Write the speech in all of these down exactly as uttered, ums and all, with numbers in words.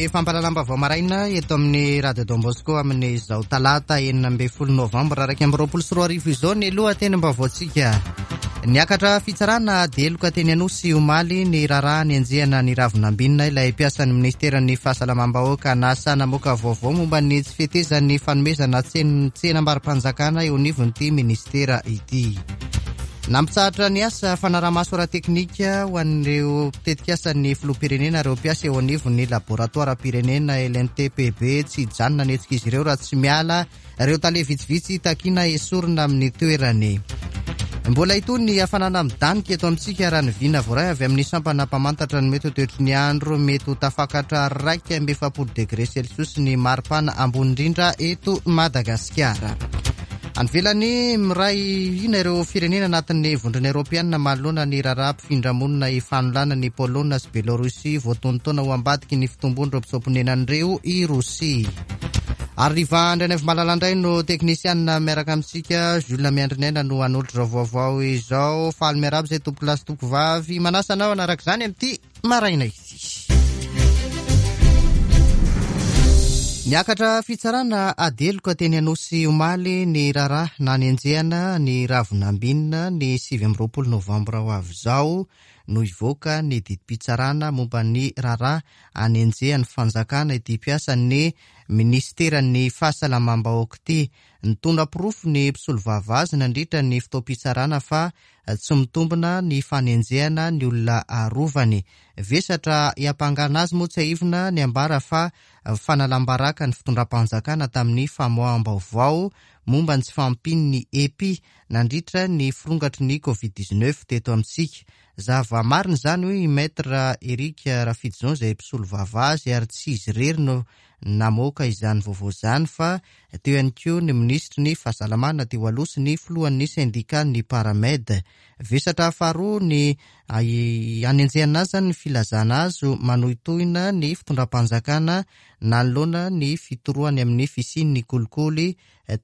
Ny fampahalalam-baovao maraina eto amin'ny Radio Don Bosco amin'izao talata enina ambin'ny folo novambra iraika amby roapolo sy roa arivo izao ny lohatenim-baovaontsika. Niakatra fitsarana ady heloka teny Anosy omaly ny raharaha nenjehana ny Ravonambinina, ilay mpiasan'ny ministeran'ny fahasalamam-bahoaka nasa namoaka vaovao momba ny tsy fetezan'ny fanomezana tsenam-barom-panjakana eo anivon'ity ministera ity. Nampitsahatra ny asa fanarahamaso ara-teknika ho an'ireo tetikasan'ny filoham-pirenena ireo mpiasa eo anivon'ny laboratoaram-pirenena L N T P B. Tsy hijanona ny hetsik'izy ireo raha tsy miala ireo tale vitsivitsy takiana esorina amin'ny toerany. Mbola itony ny hafanana midanika eto amintsika raha ny vina voaray avy amin'ny sampana mpamantatra ny mety ho toetry ny andro. Mety ho tafakatra iraika amby efapolo degré celsius ny maripana ambony indrindra eto Madagasikara. Any ivelany, miray hina ireo firenena anatin'ny vondrona eoropeanina manoloana ny raharaha mpifindramonina ifanolana ny Polonina sy Belarusy voatonotona ho ambadiky ny fitombon'ireo mpitsoa-ponenan'ireo i Rosia. Ary Riva Andrianaivomalala indray no teknisianina miaraka amintsika. Jules Miandrinaina no hanolotra izao vaovao izao. Faly miarahaba izay tompoko lahy sy tompoko vavy. Manasa anao hanaraka izany amin'ity maraina ity. Niakatra fitsarana ady heloka teny Anosy omaly ny raharaha nanenjehana ny Ravonambinina ny sivy amby roapolo novambra ho avy izao no hivoaka ny didim-pitsarana momba ny raharaha anenjehan'ny fanjakana ity mpiasan'ny ministeran'ny fahasalamam-bahoaka ity. Nitondra porofo ny mpisolovava azy nandritra ny fotoam-pitsarana fa tsy mitombina ny fanenjehana ny olona arovany. Vesatra hiampangana azy moa tsiahivina ny ambara fa fanalam-baraka ny fitondram-panjakana tamin'ny famoaham-baovao momba ny tsy fahampian'ny E P I nandritra ny firongatry ny covid dix-neuf teto amintsika. Zava-marina izany hoy i Maître Eric Rafidison izay mpisolovava azy, ary tsy izy irery no namoaka izany vaovao izany fa teo ihany koa ny minisitry ny fahasalamana teo aloha sy ny filohan'ny syndicat-n'ny Paramed. Vesatra faharoa ny anenjehana azy ny filazana azy manohitohina ny fitondram-panjakana nanoloana ny fitorohany amin'ny fisian'ny kolikoly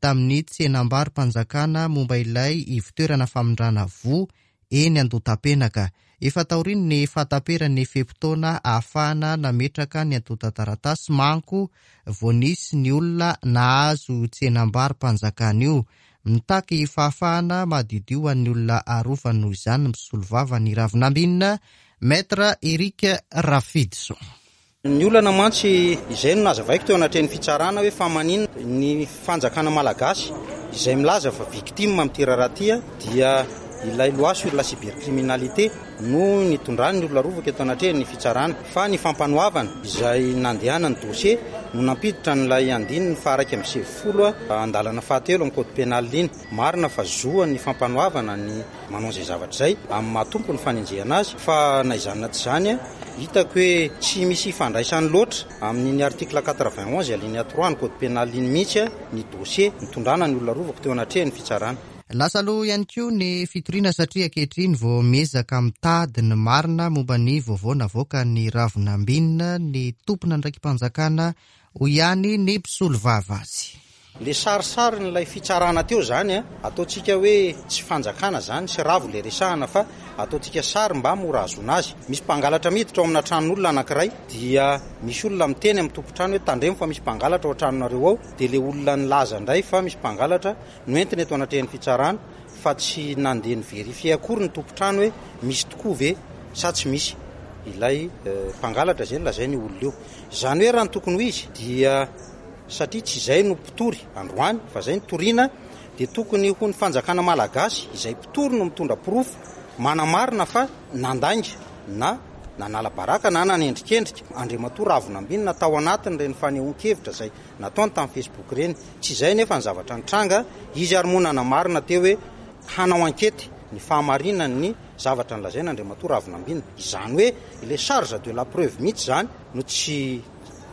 tamin'ny tsenam-barom-panjakana momba ilay ivotoerana famindrana voa eny Andohatapenaka. Efa taorian'ny fahataperan'ny fe-potoana ahafahana nametraka ny antontan-taratasy manko vao nisy ny olona nahazo tsenam-barom-panjakana io. Mitaky fahafahana madiodio ho an'ny olona arovany noho izany ny mpisolovava ny Ravonambinina, Maître Eric Rafidison. Ny olana mantsy izay no nazavaiko teo anatrehan'ny fitsarana hoe fa maninona ny fanjakana malagasy izay milaza fa victime amin'ity raharaha ity dia ilay loi sur la cybercriminalité no nitondrany ny olona rovaka eto anatrehan'ny fitsarana, fa ny fampanoavana izay nandehana ny dossier no nampiditra an'ilay andininy faha-iraika amby sivifolo andalana fahatelo amin'ny code pénal iny. Marina fa zoan'ny fampanoavana ny manao izay zavatra izay amin'ny maha-tompo ny fanenjehana azy, fa na izany na tsy izany hitako hoe tsy misy ifandraisany loatra amin'iny article quatre-vingt-onze alinéa trois ny code pénal iny mihitsy ny dossier nitondrana ny olona rovako teo anatrehan'ny fitsarana. Lasa aloha ihany koa ny fitoriana satria ankehitriny vao miezaka mitady ny marina momba ny vaovao navoaka ny Ravonambinina ny tompon'andraiki-panjakana hoy ihany ny mpisolovava azy. Le sarisarin'ilay fitsarana teo zany a, ataontsika hoe tsy fanjakana zany sy ravo le resahana fa ataontsika sary mba mora ahazoana azy. Misy mpangalatra miditra ao amina tranon'olona anankiray dia misy olona miteny amin'ny tompon-trano hoe tandremo fa misy mpangalatra ao an-tranonareo ao, dia le olona nilaza indray fa misy mpangalatra no entina eto anatrehan'ny fitsarana fa tsy nandeha ny vérifier akory ny tompon-trano hoe misy tokoa ve sa tsy misy ilay mpangalatra izay nolazainy io olona io. Izany hoe raha ny tokony ho izy dia satria tsy izay no mpitory androany fa izay no toriana, dia tokony ho ny fanjakana malagasy izay mpitory no mitondra porofo manamarina fa nandainga na nanala baraka na nanendrikendrika Andriamatoa Ravonambinina tao anatin'ireny fanehoan-kevitra izay nataony tamin'ny Facebook ireny. Tsy izay nefa ny zavatra nitranga, izy ary moa nanamarina teo hoe hanao ankety ny fahamarinan'ny zavatra nolazaina Andriamatoa Ravonambinina. Izany hoe ilay charge de la preuve mihitsy izany no tsy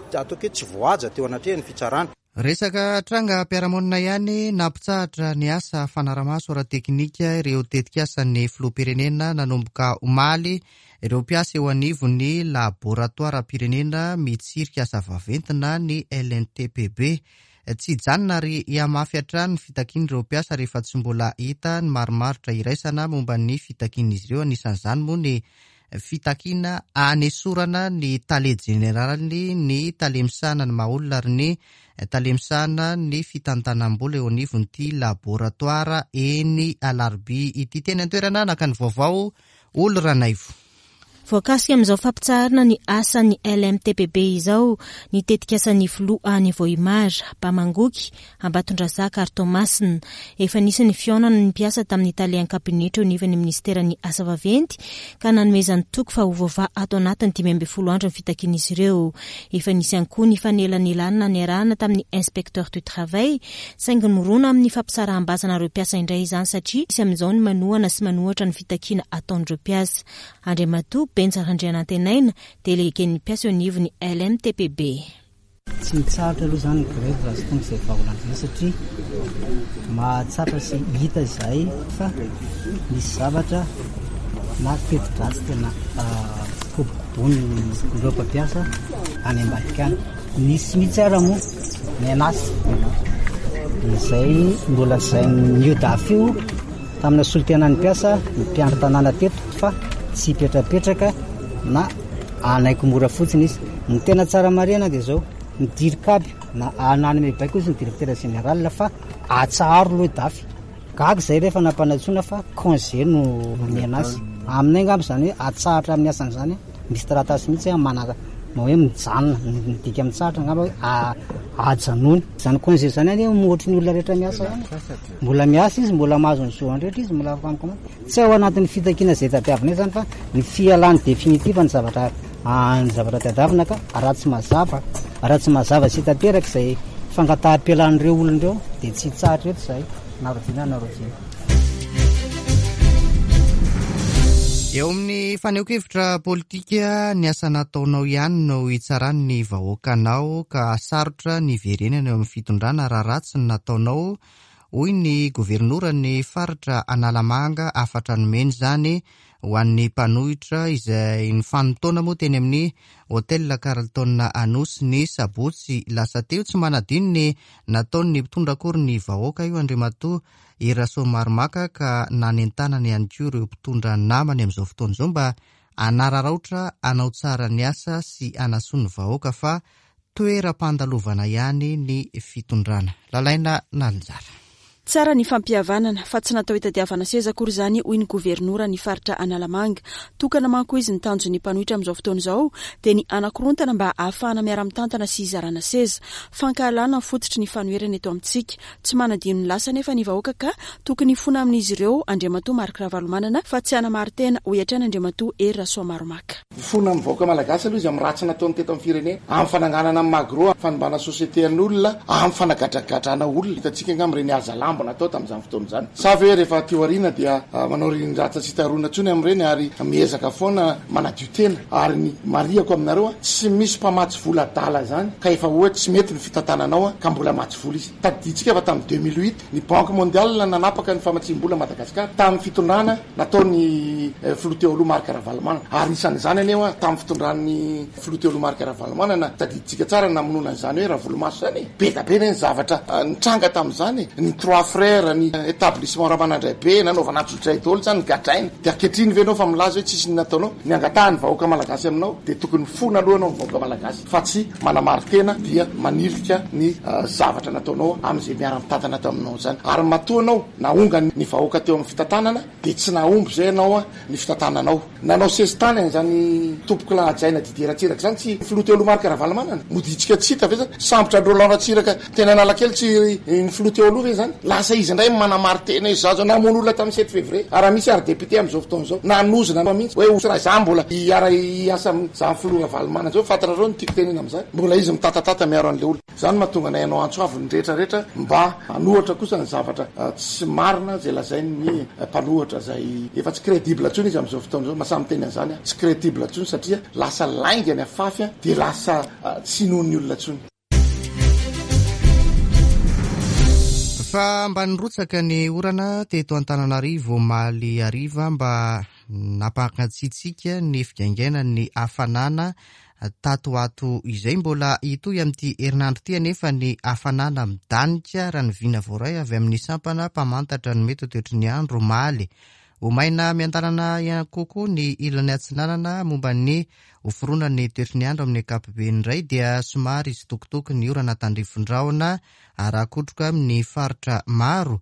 ataoko hoe tsy voahaja teo anatrehan'ny fitsarana. Resaka tranga mpiara-monina ihany nampitsahatra ny asa fanarahamaso ara-teknika ireo tetikasan'ny filoham-pirenena nanomboka omaly. Ireo mpiasa eo anivon'ny laboratoaram-pirenena mitsirika asa vaventy na ny L N T P B. Tsy hijanona ary hihamafy hatrany ny fitakian'ireo mpiasa rehefa tsy mbola hita ny marimaritra iraisana momba ny fitakian'izy ireo. Anisan'izany moa ny fitakiana anesorana ny tale jeneraly, ny tale misahana ny maha olona ary ny tale misahana ny fitantanam-bola eo anivon'ity laboratoara eny Alarobia ity. Teny an-toerana naka ny vaovao Olo Ranaivo. Voakasika amin'izao fampitsaharana ny asan'ny L M T P B izao ny tetikasan'ny filoha any Vohimar, Bamangoky, Ambatondrazaka ary Toamasina. Efa nisy ny fihaonana ny mpiasa tamin'ny tale an-kabinetra eo anivon'ny ministeran'ny asa vaventy ka nanomezany toky fa ho voavaha ato anatin'ny dimy ambin'ny folo andro ny fitakian'izy ireo. Efa nisy ihany koa ny fanelanelana niarahana tamin'ny inspecteur du travail, saingy mirona amin'ny fampisaraham-bazana ireo mpiasa indray izany satria misy amin'izao ny manohana sy manohatra ny fitakiana ataon'ireo mpiasa. Andriamatoa Benja Randrianantenaina, délégué-n'ny mpiasa eo anivon'ny L M T P B. Tsy mitsahatra aloha izany ny grève raha tsy tonga izay vahaolana izay satria mahatsapa sy hita izahay fa misy zavatra na teti-dratsy tena kobokobonin'ireo mpampiasa any ambadika any. Nisy mihitsy ara moa ny anasy izay nolazain'ny U D A F io tamina solontenan'ny mpiasa ny mpiandry tanàna teto fa tsy hipetrapetraka na anaiky mora fotsiny izy. Ny tena tsara marihana dia izao, ny dirikaby na ananome baiko izy ny directeur général fa atsaharo aloha D A F. Gaga izay rehefa nampanantsoina fa congé no nomena azy. Aminay angamba izany hoe atsahatra amin'ny asany izany, misy taratasy mihitsy manana hoe mijanona, midika mitsahatra angamba hoe a-, ajanony. Izany congé izany anie ohatry ny olona rehetra miasa ihany. Mbola miasa izy, mbola mahazo ny zo rehetra izy, mbola afaka mikomana. Tsy ao anatin'ny fitakiana izay tadiavina izany fa ny fialany définitive ny zavatra, ny zavatra tadiavina ka raha tsy mazava, raha tsy mazava sy tanteraka izay fangataham-pialan'ireo olona ireo dia tsy hitsahatra eto izahay, na roviana na roviana. Eo amin'ny fanehoan-kevitra politika, ny asa nataonao ihany no hitsaran'ny vahoakanao ka sarotra ny hiverenana eo amin'ny fitondrana raha ratsy ny nataonao, hoy ny governoran'ny faritra Analamanga. Hafatra nomeny izany ho an'ny mpanohitra izay nifanintaona moa teny amin'ny Hotel Carlton Anosy ny sabotsy lasa teo. Tsy manadino ny nataon'ny mpitondra akory ny vahoaka io Andriamatoa Hery Rasoamaromaka ka nanentanana ihany koa ireo mpitondra namany amin'izao fotoana izao mba hanararaotra hanao tsara ny asa sy hanasoa ny vahoaka fa toeram-pandalovana ihany ny fitondrana. Lalaina Nalinjara. Tsara ny fampihavanana fa tsy natao hitadiavana seza akory izany, hoy ny governora ny faritra Analamanga. Tokana manko izy ny tanjon'ny mpanohitra amin'izao fotoana izao dia ny anakorontana mba ahafahana miara-mitantana sy hizarana seza. Fankahalana ny fototry ny fanoherana eto amintsika. Tsy manadino ny lasa nefa ny vahoaka ka tokony hifona amin'izy ireo Andriamatoa Marc Ravalomanana fa tsy hanamari-tena, hoy hatrany Andriamatoa Hery Rasoamaromaka. Hifona amin'ny vahoaka malagasy aloha izy amin'ny ratsy nataony teto amin'ny firenena, amin'ny fananganana amin'ny magro, amin'ny fanimbana société an'olona, amin'ny fanagadragadrana olona. Hitantsika angamba ireny hazalambo natao tamin'izany fotoana izany. Sa ve rehefa teo aoriana dia manao rindratsa tsy hita rona intsony amin'ireny ary miezaka foana manadio tena. Ary ny marihako aminareo, tsy misy mpamatsy vola adala izany ka efa hoe tsy mety ny fitantananao ka mbola matsy vola izy. Tadidintsika fa tamin'ny deux mille huit ny Banque mondiale nanapaka ny famatsiam-bola Madagasikara tamin'ny fitondrana nataon'ny filoha teo aloha Marc Ravalomanana. Ary isan'izany anie hoa tamin'ny fitondran'ny filoha teo aloha Marc Ravalomanana, tadidintsika tsara ny namonoana an'izany hoe Ravolomaso izany e. Be dia be ny zavatra nitranga tamin'izany, ny trois frères, ny établissement Ramanandraibe, nanaovana antsojay daholo izany, gadraina. Dia ankehitriny ve ianao fa milaza hoe tsisy ny nataonao? Ny angatahan'ny vahoaka malagasy aminao dia tokony fona aloha ianao ny vahoaka malagasy fa tsy manamari-tena dia manilika ny zavatra nataonao amin'izay miara-mitantana taminao izany. Ary matoa anao nahonga ny vahoaka teo amin'ny fitantanana dia tsy nahomby izay ianao ny fitantananao. Nanao sesitany an'izany tompoko lahajaina Didier Ratsiraka izany tsy filoha teo aloha Marc Ravalomanana. Moditsika tsy hita ve zany? Sambotra Roland Ratsiraka tena Analakely tsy ny filoha teo aloha ve zany? Lasa izy indray manamari-tena izy zazo namono olona tamin'ny sept février. Ary misy ary député amin'izao fotoana izao nanozona mihitsy hoe ho raha izaho mbola hiara-hiasa amin'izany filoha Ravalomanana izao, fantatrareo ny tiako tenena amin'izany. Mbola izy mitatatata miaro an'ilay olona. Izany mahatonga anay hanao antso avo ny rehetrarehetra mba hanohatra kosa ny zavatra tsy marina izay lazain'ny mpanohatra izay efa tsy crédible intsony izy amin'izao fotoana izao. Mahasahy miteny an'izany aho, tsy crédible intsony satria lasa lainga ny afafy dia lasa tsy inoan'ny olona intsony. Fa mba nirotsaka ny orana teto Antananarivo omaly hariva mba nampangatsiatsiaka ny figaingainan'ny hafanana tato ato izay. Mbola hitohy amin'ity herinandro ity anefa ny hafanana midanika raha ny vina voaray avy amin'ny sampana mpamantatra ny mety ho toetry ny andro omaly. Ho maina miandalana ihany kokoa ny ilany atsinanana. Momba ny ho fironan'ny toetry ny andro amin'ny ankapobeny indray dia somary hitsitokotoko ny orana tandrifin-drahona ary hakotroka amin'ny faritra maro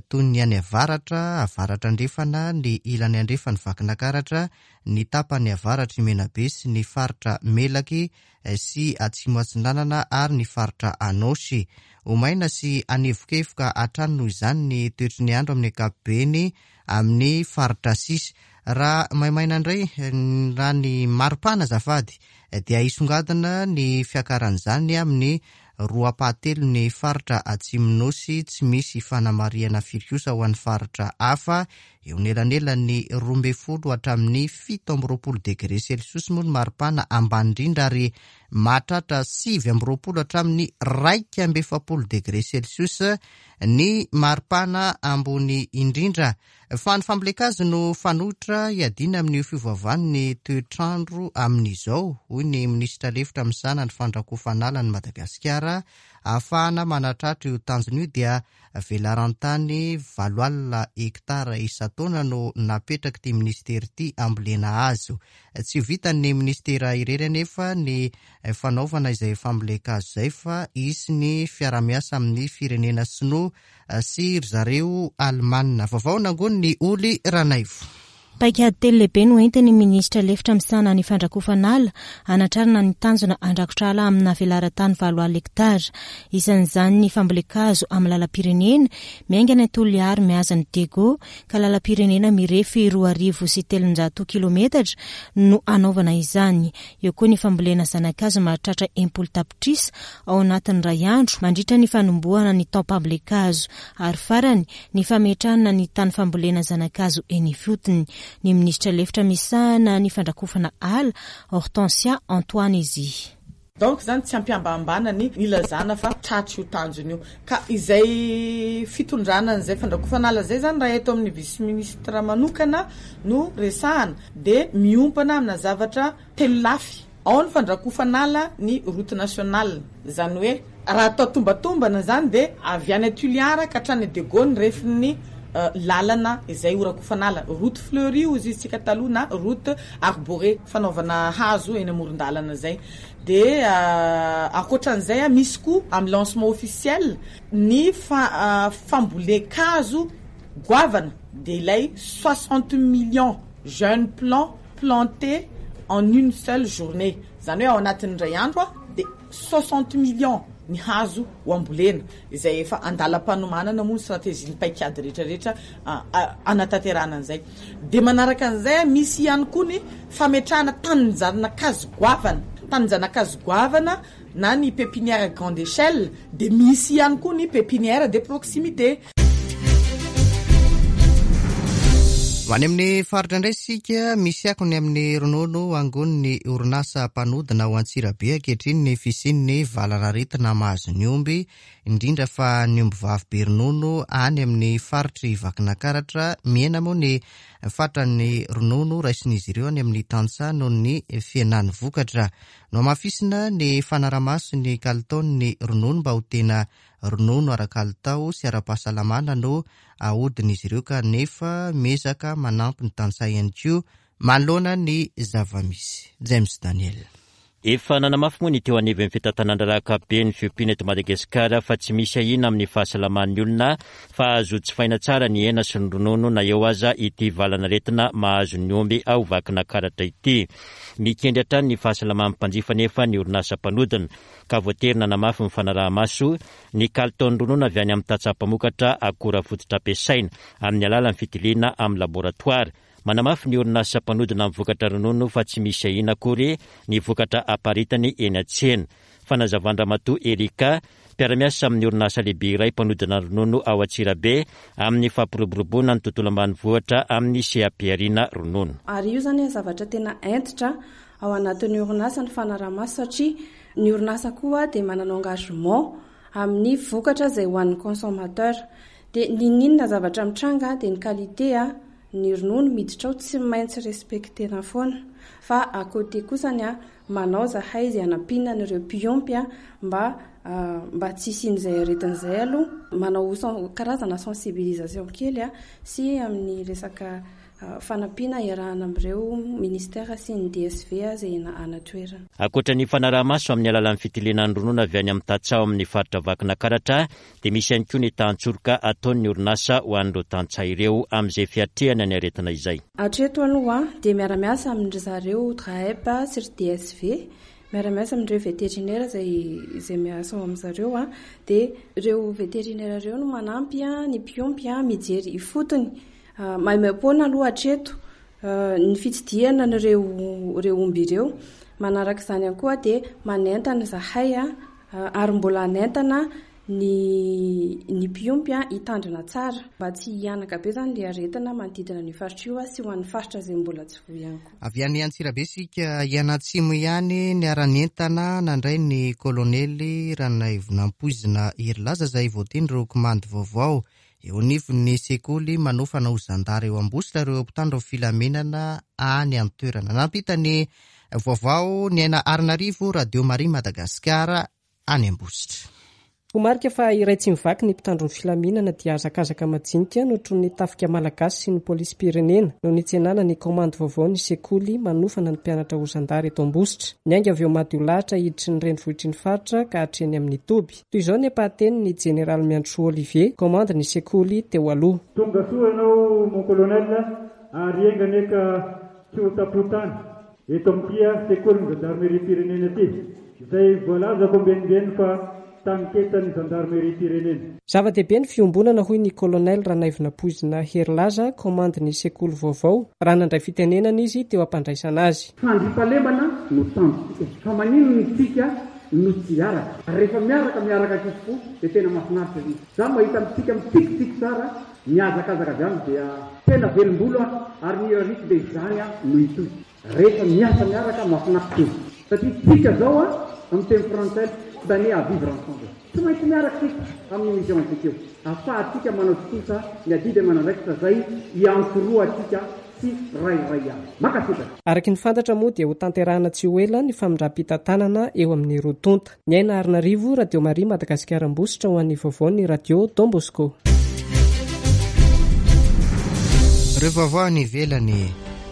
toy ny any avaratra, avaratra andrefana, ny ilany andrefan'ny Vakinankaratra, ny tapany avaratry Menabe sy ny faritra Melaky sy atsimo atsinanana ary ny faritra Anôsy. Ho maina sy hanevokevoka hatrany noho izany ny toetry ny andro amin'ny ankapobeny amin'ny faritra sisa. Raha maimaina indray raha ny maripana azafady dia hisongadina ny fiakaran'izany amin'ny roa ampahatelony ny faritra atsimo-nosy, tsy misy fanamarihana firy kosa ho an'ny faritra hafa. Eo anelanelan'ny roa ambin'ny folo hatramin'ny fito amby roapolo degré celsius moa ny maripana ambany indrindra ary mahatratra sivy amby roapolo hatramin'ny iraika amby efapolo degré celsius ny maripana ambony indrindra. Fa ny fambolen-kazo no fanoitra hiadiana amin'io fiovaovan'ny toetrandro amin'izao, hoy ny minisitra lefitra misahana ny fandrakofana ny Madagasikara. Ahafahana manatratra io tanjona io dia velaran-tany valo alina hektara isan-taona no napetraky ity minisitera ity ambolena hazo. Tsy vitan'ny minisitera irery anefa ny fanaovana izay fambolen-kazo izay fa hisy ny fiarahamiasa amin'ny firenena sinoa sy ry zareo Alemana. Vaovao nangonin'ny Oly Ranaivo. Paikady telo lehibe no entin'ny minisitra lefitra misahana ny fandrakofana ala hanatrarana ny tanjona handrakotra ala amina velaran-tany valo alina hektara. Isan'izany ny fambolen-kazo amin'ny lalam-pirenena miainga any Toliary mihazo ny Diego ka lalam-pirenena mirefy roa arivo sy telonjato kilometatra no hanaovana izany. Eo koa ny fambolena zana-kazo mahatratra enimpolo tapitrisa ao anatin'ny iray andro mandritra ny fanombohana ny taom-pambolen-kazo ary farany ny fametrahana ny tany fambolena zana-kazo eny ifotony. Ny minisitra lefitra misahana ny fandrakofana ala Hortensia Antoine izy. Donc zany tsy ampiambambana ny ilazana fa tratry io tanjona io. Ka izay fitondrana an'izay fandrakofana ala zay zany raha eto amin'ny vice ministre manokana no resahana de miompana amina zavatra telo lafy. Ao ny fandrakofana ala ny route nationale, zany hoe raha atao tombatombana zany de avy any Toliara ka hatrany Diego ny refin'ny lalana izay horakofana ala, route fleurie hozy izy tsika taloha na route arborée fanaovana hazo eny amoron-dalana zay. De ankoatran'izay a misy koa amin'ny lancement officiel ny fa fambolen-kazo goavana de ilay soixante millions jeunes plants plantés en une seule journée, zany hoe ao anatin'ny iray andro a de soixante millions ny hazo ho ambolena izay efa andalam-panomanana moa ny stratégie ny paikady rehetrarehetra anatanterahana an'izay. De manaraka an'izay misy ihany koa ny fametrahana tanin-janakazo goavana, tanin-janakazo goavana na ny pépinière grande échelle, de misy ihany koa ny pépinière de proximité. Ho any amin'ny faritra indray isika, misy akony amin'ny ronono angonin'ny orinasa mpanodina ao Antsirabe ankehitriny ny fisian'ny valanaretina mahazo ny omby, indrindra fa ny omby vavy be ronono any amin'ny faritry Vakinankaratra. Mihena moa ny fatran'ny ronono raisin'izy ireo any amin'ny tantsaha noho ny fihenan'ny vokatra. Nohamafisina ny fanarahamaso ny kalitaon'ny ronono mba ho tena ronono ara-kalitao sy ara-pahasalamana no ahodin'izy ireo, kanefa miezaka manampy ny tantsaha ihany koa manoloana ny zava-misy. James Daniel. Efa nanamafy moa ny teo anivon'ny fitantanana ankapobeny ny fiompiana eto Madagasikara fa tsy misy ahiana amin'ny fahasalaman'ny olona fa azo tsifaina tsara ny hena sy ny ronono na eo aza ity valanaretina mahazo ny omby ao Vakinankaratra ity. Mikendry hatrany ny fahasalaman'ny mpanjifa nefa ny orinasa mpanodina ka voatery nanamafy ny fanaraha-maso ny kalitaon'ny ronono avy any amin'ny tantsaha mpamokatra akora fototra ampiasaina amin'ny alalan'ny fitiliana amin'ny laboratoara. Manamafy ny orinasa mpanodina amin'ny vokatra ronono fa tsy misy ahiana akory ny vokatra aparitany eny an-tsena. Fanazavan-dRamatoa Erika, mpiara-miasa amin'ny orinasa lehibe iray mpanodina ronono ao Antsirabe amin'ny fampiroboroboana ny tontolo ambanivohitra amin'ny seha-pihariana ronono. Ary io zany zavatra tena hentitra ao anatin'ny orinasa ny fanarahamaso, satria ny orinasa koa dia manana engagement amin'ny vokatra izay ho an'ny consommateur. Dia n'inon'inona zavatra mitranga dia ny qualité a ny ronono miditra ao tsy maintsy respectena foana. Fa à côté kosany a manao zahay izay hanampiana an'ireo mpiompy a mba mba tsy hisian'izay aretin'izay aloha, manao karazana sensibilisation kely a sy amin'ny resaka fanampiana iarahana amin'ireo ministera sy ny D S V izay any an-toerana. Ankoatra ny fanaraha-maso amin'ny alalan'ny fitiliana ny ronono avy any amin'ny tantsaha amin'ny faritra Vakinankaratra dia misy ihany koa ny tantsoroka ataon'ny orinasa ho an'ireo tantsaha ireo amin'izay fiatrehana ny aretina izay. Hatreto aloha dia miara-miasa amin-dry zareo D R A E P sy ry D S V, miara-miasa amin'ireo vétérinaire izay izay miasa ao amin-dry zareo, dia ireo vétérinaire ireo no manampy ny mpiompy mijery ifotony. Maimaimpoana aloha hatreto ny fitsidihana an'ireo ireo omby ireo. Manaraka izany ihany koa dia manentana izahay ary mbola hanentana ny ny mpiompy hitandrina tsara mba tsy hihanaka be izany ilay aretina manodidina ny faritra io sy ho an'ny faritra izay mbola tsy voa ihany koa. Avy any Antsirabe isika hianatsimo ihany niara-nientana nandray ny kolonely Ranaivonampoizina Herilaza izay voatendry ho komandy vaovao eo anivon'ny sekoly manofana ho zandary eo Ambositra ireo mpitandro filaminana any an-toerana. Nampita ny vaovao ny Aina Arinarivo, Radio Maria Madagasikara any Ambositra. Ho marika fa iray tsy mivaky ny mpitandro ny filaminana dia hazakazaka majinika notronin'ny tafika malagasy sy ny polisim-pirenena no nitsenana ny komandy vaovao ny sekoly manofana ny mpianatra ho zandary eto Ambositra. Niainga avy eo Madiolahatra hiditry ny renivohitry ny faritra ka hatreny amin'ny toby. Toy izao ny ampahateny ny jeneraly Miantsoa Olivier, komandy ny sekoly teo aloha. Tonga soa ianao mon colonel ary enga anie ka tsy ho tapotany eto amin'ity sekolin'ny zandarmeriam-pirenena ity izay voalazako ambenimbeny fa taniketany zandarmeriam-pirenena. Zava-dehibe ny fiombonana hoy ny kolonely Ranaivonampoizina Herilaza, komandy ny sekoly vaovao, raha nandray fitenenana izy teo am-pandraisana azy. Fandriampahalemana no tanjontsika, fa maninona isika no tsy hiaraka? Ary rehefa miaraka miaraka ankizy-po dia tena mahafinaritra izy. Izaho mahita amintsika mitsikitsiky tsara, mihazakazaka avy any dia tena velombolo aho ary ny irariako dia izany aho no hitohy. Rehefa miasa miaraka mahafinaritra izy. Satria tsika zao a amin'ny teny frantsay condamné à vivre ensemble. Tsy maintsy miaraka isika amin'ny mission antsika io. Ahafahantsika manao tontosa ny adidy aman'andraikitra izay iantsorohantsika sy rairay ihany. Mankasitraka. Araka ny fantatra moa dia ho tanterahana tsy ho ela ny famindram-pitantanana eo amin'ny roa tonta. Ny Aina Arinarivo, Radio Maria Madagasikara Ambositra ho an'ny vaovaon'ny Radio Don Bosco. Ireo vaovao any ivelany.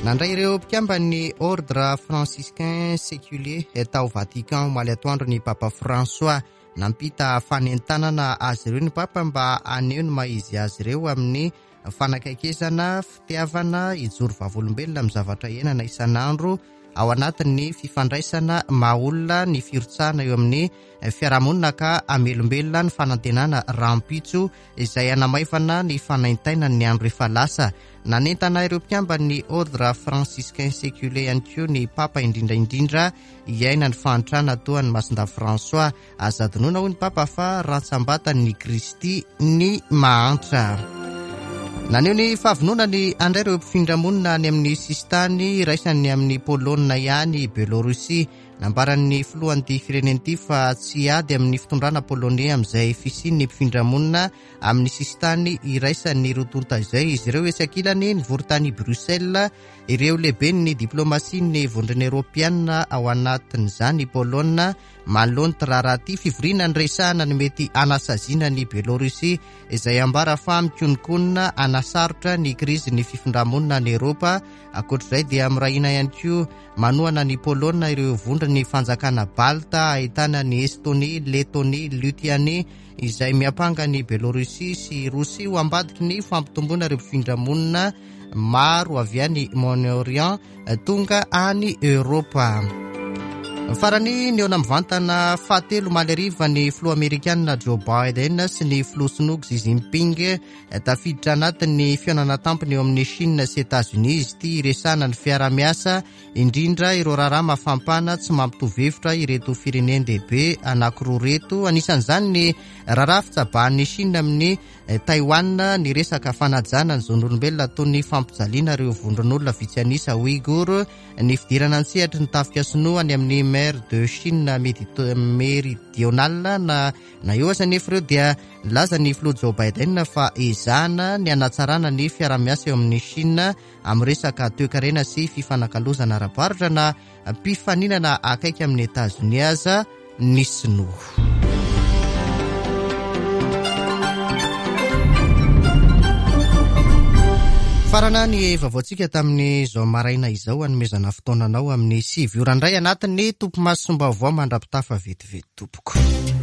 Nandray ireo mpikamban'ny Ordre franciscain séculier tao Vatican omaly atoandro ny Papa François. Nampita fanentanana azy ireo ny Papa mba haneho ny maha izy azy ireo amin'ny fanakaikezana, fitiavana, hijoro vavolombelona amin'ny zavatra iainana isan'andro ao anatin'ny fifandraisana maha olona, ny firotsahana eo amin'ny fiarahamonina ka hamelombelona ny fanantenana rahampitso izay hanamaivana ny fanaintainan'ny andro efa lasa. Nanentana ireo mpikamban'ny Ordre franciscain séculier ihany koa ny Papa indrindra indrindra hiaina ny fahantrana toa an'i Masindahy François. Aza adinoina hoy ny Papa fa rantsambatan'ny Kristy ny mahantra. Naneho ny fahavononany handray ireo mpifindramonina any amin'ny sisintany iraisany amin'ny Polonina ihany Biélorussie. Nambaran'ny filohan'ity firenena ity fa tsy ady amin'ny fitondrana polonais amin'izay fisian'ny mpifindramonina amin'ny sisintany iraisan'ny roa tonta izay. Izy ireo etsy ankilany nivory tany Bruxelles ireo lehiben'ny diplomasian'ny vondrona eoropeana ao anatin'izany Polonina manoloana ity raharaha ity. Fivoriana niresahana ny mety hanasaziana ny Biélorussie izay ambara fa mikononkonona hanasarotra ny krizin'ny fifindramonina any Eoropa. Ankoatr'izay dia mirahina ihany koa manohana ny Polonina ireo vondron'ny fanjakana Balta ahitana ny Estonie, Letonie, Lituanie izay miampanga ny Biélorussie sy Rosia ho ambadiky ny fampitomboana ireo mpifindramonina maro avy any Moyen-Orient tonga any Eoropa. Farany nihaona mivantana fahatelo omaly hariva ny filoha amerikanina Joe Biden sy ny filoha sinoa Xi Jinping. Tafiditra anatin'ny fihaonana tampony eo amin'ny Chine sy États-Unis izy ity hiresahana ny fiarahamiasa indrindra ireo raharaha mafampana tsy mampitovy hevitra ireto firenen-dehibe anankiroa ireto. Anisan'izany ny raharaha fitsabahan'ny Chine amin'ny Taiwan, ny resaka fanajana ny zon'olombelona toy ny fampijaliana ireo vondron'olona vitsy an'isa Ouïghour, ny fidirana an-tsehatry ny tafika sinoa any amin'ny mer de Chine méridionale. Na na eo aza nefa ireo dia nilaza ny filoha Joe Biden fa ezahana ny hanatsarana ny fiarahamiasa eo amin'ny Chine amin'ny resaka toekarena sy fifanakalozana ara-barotra na mpifaninana akaiky amin'ny Etazonia aza ny sinoa. Nifarana ny vaovaontsika tamin'izao maraina izao, anomezana fotoananao amin'ny sivy ora indray anatin'ny topimasom-baovao mandra-pitafa vetivety tompoko.